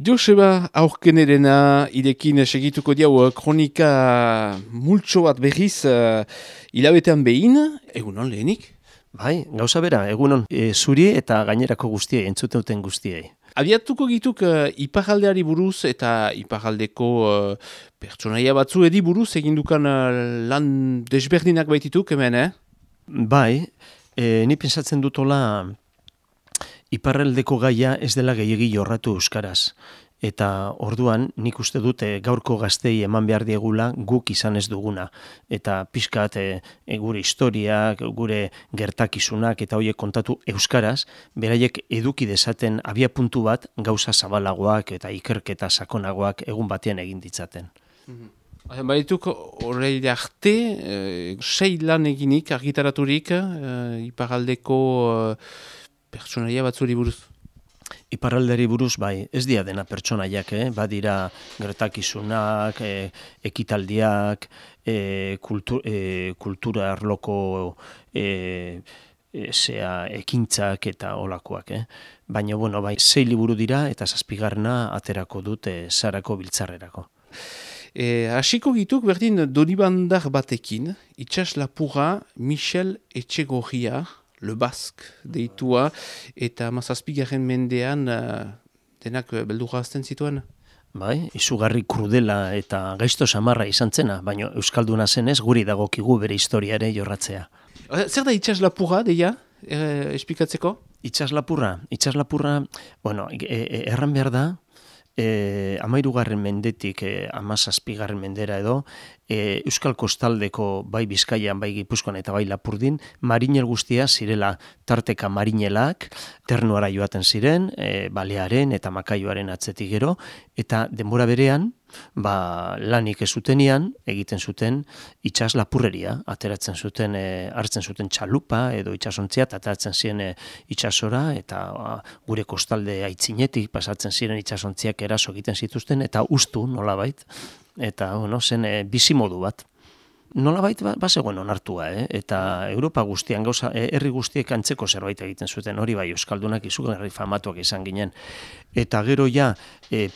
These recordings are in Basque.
Joseba aurkenerena irekin segituko diau kronika multxo bat berriz hilabetean behin, egunon lehenik? Bai, gauza bera, egunon zuri eta gainerako guztiei, entzuten duten guztiei. Abiatuko gituk iparaldeari buruz eta iparaldeko pertsonaia batzu edi buruz egindukan lan desberdinak baitituk hemen, Bai, ni pensatzen dutola iparraldeko gaia ez dela gehiegi jorratu euskaraz. Eta orduan nik uste dute gaurko gaztei eman behar diegula guk izan ez duguna. Eta pixkat gure historiak, gure gertakizunak eta horiek kontatu euskaraz, beraiek eduki dezaten abiapuntu bat gauza zabalagoak eta ikerketa sakonagoak egun batean egin ditzaten. Baituk horreile arte, 6 lan eginik, argitaraturik, iparaldeko pertsonaia batzuri buruz. Iparraldeari buruz, bai, ez dira dena pertsonaiak, badira gertakizunak, ekitaldiak, kultura arloko ekintzak eta olakoak. Baina, bai, 6 liburu dira eta 7. aterako dut Sarako biltzarrerako. Hasiko gituk berdin donibandar batekin, itxas lapurra Michel Etxegorria, Le Basque deitua, eta 17. mendean denak beldurra azten zituen. Bai, izugarri krudela eta gaizto samarra izan zena, baina euskalduna zenez guri dagokigu bere historiare jorratzea. Zer da itxas lapurra, deia, esplikatzeko? Itxas lapurra, erran behar da, 13. mendetik 17. mendera edo, Euskal Kostaldeko bai Bizkaian, bai Gipuzkoan eta bai Lapurdin, marinel guztia zirela tarteka marinelak, ternuara joaten ziren, balearen eta makaioaren atzetik gero, eta denbora berean, lanik ez zutenian, egiten zuten itxas lapurreria, ateratzen zuten, hartzen zuten txalupa edo itxasontzia, eta ateratzen ziren itxasora, eta gure kostalde aitzinetik pasatzen ziren itxasontziak eraso egiten zituzten, eta ustu nolabait, eta zen bizimodu bat. Nolabait bazegoen onartua, eta Europa guztian gauza, herri guztiek antzeko zerbait egiten zuten, hori bai euskaldunak izugarri famatuak izan ginen. Eta gero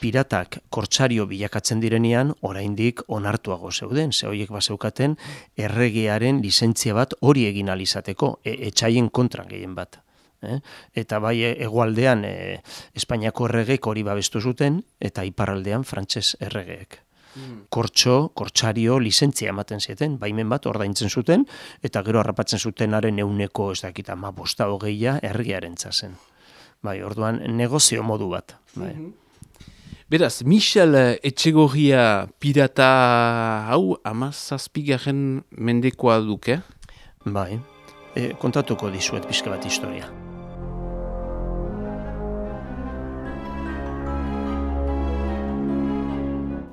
piratak kortsario bilakatzen direnean, oraindik onartuago zeuden, ze horiek bazeukaten erregearen lizentzia bat hori egin alizateko, etxaien kontran gehien bat. Eta bai hegoaldean Espainiako erregeek hori babestu zuten, eta iparraldean frantses erregeek. Kortsario lizentzia ematen zieten, baimen bat ordaintzen zuten, eta gero harrapatzen zutenaren 100 ez dakit 15-20 erregearen zen. Bai, orduan negozio modu bat. Bai. Beraz, Michel Etxegorria pirata hau 17. mendekoa duke? Bai, kontatuko dizuet pixka bat historia.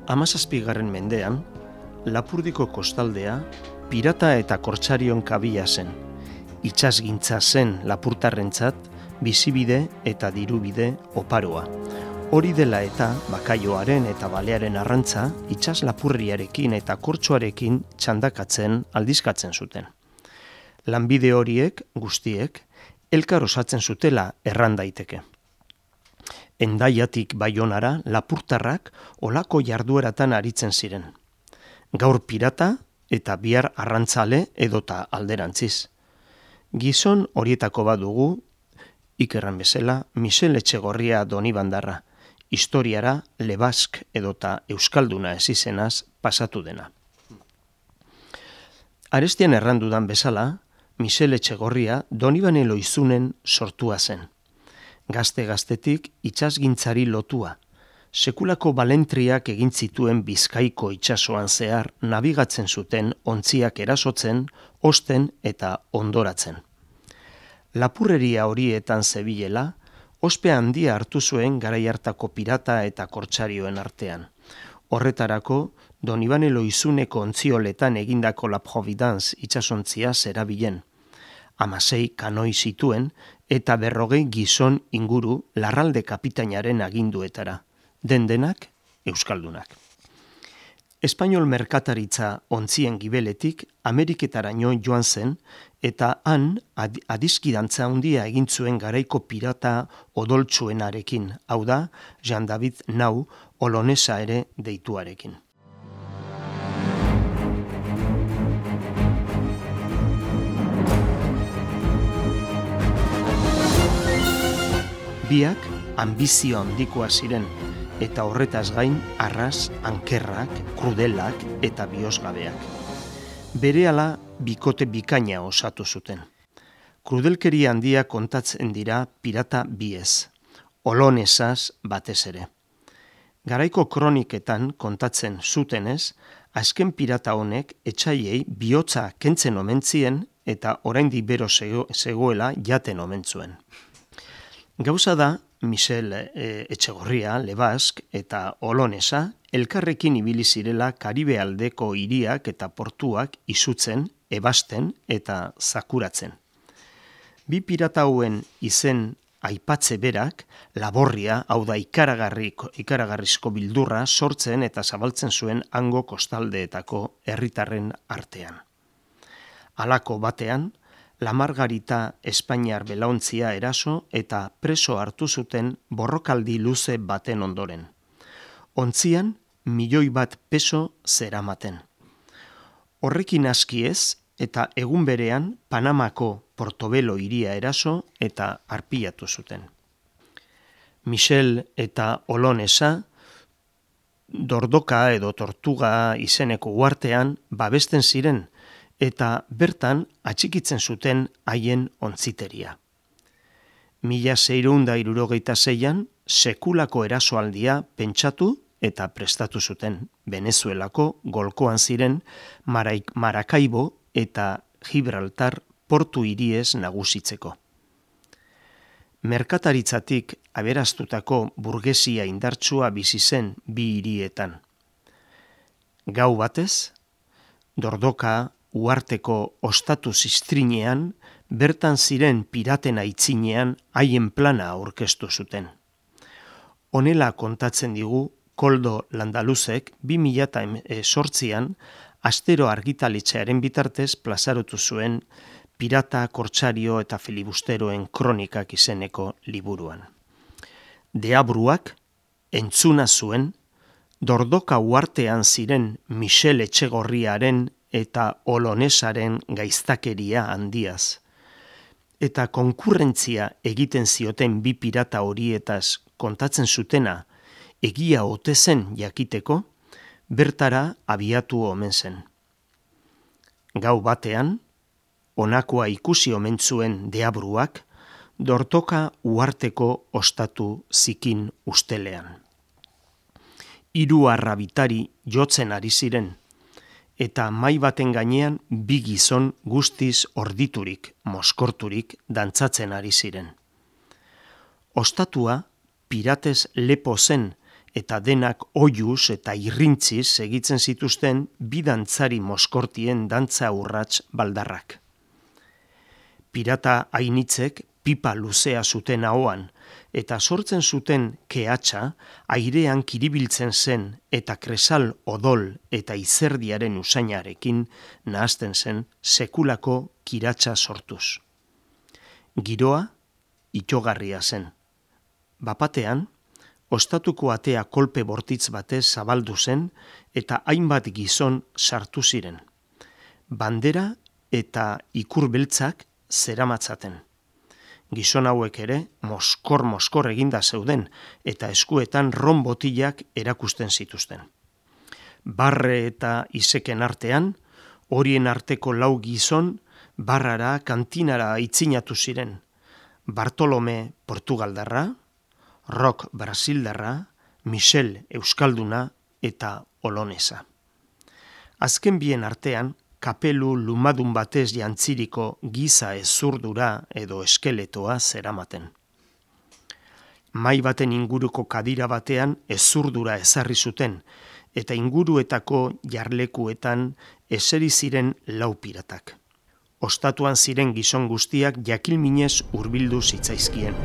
Hamazazpigarren mendean, Lapurdiko kostaldea pirata eta kortsarion kabila zen. Itsasgintza zen lapurtarrentzat bizibide eta dirubide oparoa. Hori dela eta bakaioaren eta balearen arrantza itsas lapurriarekin eta kortsoarekin txandakatzen aldizkatzen zuten. Lanbide horiek guztiek elkar osatzen zutela erran daiteke. Hendaiatik Baionara lapurtarrak olako jardueratan aritzen ziren. Gaur pirata eta bihar arrantzale edota alderantziz. Gizon horietako bat dugu, ikerran bezala, Michel Etxegorria Donibandarra, historiara Le Basque edota euskalduna ez izenaz pasatu dena. Arestian errandudan bezala, Michel Etxegorria Donibane Loizunen sortua zen. Gazte-gaztetik itsasgintzari lotua. Sekulako balentriak egin zituen Bizkaiko itsasoan zehar nabigatzen zuten ontziak erasotzen, osten eta ondoratzen. Lapurreria horietan zebilela, ospe handia hartu zuen garai hartako pirata eta kortsarioen artean. Horretarako, Donibane Loizuneko ontzioletan egindako La Providence itsasontzia zerabilen. 16 kanoi zituen eta 40 gizon inguru larralde kapitainaren aginduetara, dendenak euskaldunak. Espainol merkataritza ontzien gibeletik Ameriketaraino joan zen eta han adiskidantza handia egin zuen garaiko pirata odoltsuenarekin, hau da, Jean David Nau Olonesa ere deituarekin. Biak ambizio handikoa ziren, eta horretaz gain arras, ankerrak, krudelak eta bihozgabeak. Berehala bikote bikaina osatu zuten. Krudelkeria handia kontatzen dira pirata biez, Olonesaz batez ere. Garaiko kroniketan kontatzen zutenez, azken pirata honek etxaiei bihotza kentzen omentzien eta oraindik bero zegoela jaten omentzuen. Gauza da, Michel Etxegorria, Lebask eta Olonesa elkarrekin ibili zirela Karibe aldeko hiriak eta portuak izutzen, ebasten eta zakuratzen. Bi pirata hauen izen aipatze berak, laborria, hau da ikaragarrizko bildurra sortzen eta zabaltzen zuen hango kostaldeetako herritarren artean. Halako batean, La Margarita Espainiar belaontzia eraso eta preso hartu zuten borrokaldi luze baten ondoren. Ontzian, 1.000.000 peso zeramaten. Horrekin askiez eta egun berean Panamako Portobelo hiria eraso eta arpilatu zuten. Michel eta Olonesa Dordoka edo Tortuga izeneko uhartean babesten ziren, eta bertan atxikitzen zuten haien ontziteria. 1676an sekulako erasoaldia pentsatu eta prestatu zuten, Venezuelako golkoan ziren Maracaibo eta Gibraltar portu hiriez nagusitzeko. Merkataritzatik aberastutako burgesia indartsua bizi zen bi hirietan. Gau batez, Dordoka uharteko ostatu ziztrinean, bertan ziren piraten aitzinean haien plana aurkeztu zuten. Honela kontatzen digu Koldo Landaluzek 2008an Astero argitaletxearen bitartez plazarotu zuen Pirata, Kortsario eta Filibusteroen kronikak izeneko liburuan. Deabruak entzuna zuen Dordoka uhartean ziren Michel Etxegorriaren eta Olonesaren gaiztakeria handiaz. Eta konkurrentzia egiten zioten bi pirata horietaz kontatzen zutena egia ote zen jakiteko, bertara abiatu omen zen. Gau batean, honakoa ikusi omen zuen Deabruak, Dordoka uharteko ostatu zikin ustelean. 3 arrabitari jotzen ari ziren, eta mai baten gainean 2 gizon guztiz orditurik, moskorturik dantzatzen ari ziren. Ostatua piratez lepo zen eta denak oiuz eta irrintziz egitzen zituzten 2 dantzari moskortien dantza urrats baldarrak. Pirata hainitzek pipa luzea zuten ahoan, eta sortzen zuten kehatsa airean kiribiltzen zen eta kresal odol eta izerdiaren usainarekin nahasten zen sekulako kiratsa sortuz. Giroa itxogarria zen. Bapatean, ostatuko atea kolpe bortitz batez zabaldu zen eta hainbat gizon sartu ziren. Bandera eta ikur beltzak zeramatzaten. Gizon hauek ere moskor eginda zeuden eta eskuetan ron botilak erakusten zituzten. Barre eta izeken artean, horien arteko 4 gizon barrara kantinara aitzinatu ziren. Bartolome Portugaldarra, Rock Brasildarra, Michel Euskalduna eta Olonesa. Azken bien artean, kapelu lumadun batez jantziriko giza ezurdura edo eskeletoa zeramaten. Mai baten inguruko kadira batean ezurdura ezarri zuten, eta inguruetako jarlekuetan eseri ziren 4 piratak. Ostatuan ziren gizon guztiak jakilminez hurbildu zitzaizkien.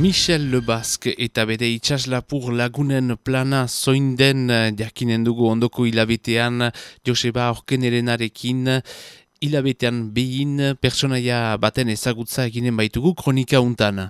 Michel Lebasque eta bere itxaslapur lagunen plana zoin den jakinen dugu ondoko hilabetean Joseba Orkenerenarekin hilabetean behin personaia baten ezagutza eginen baitugu kronika untan.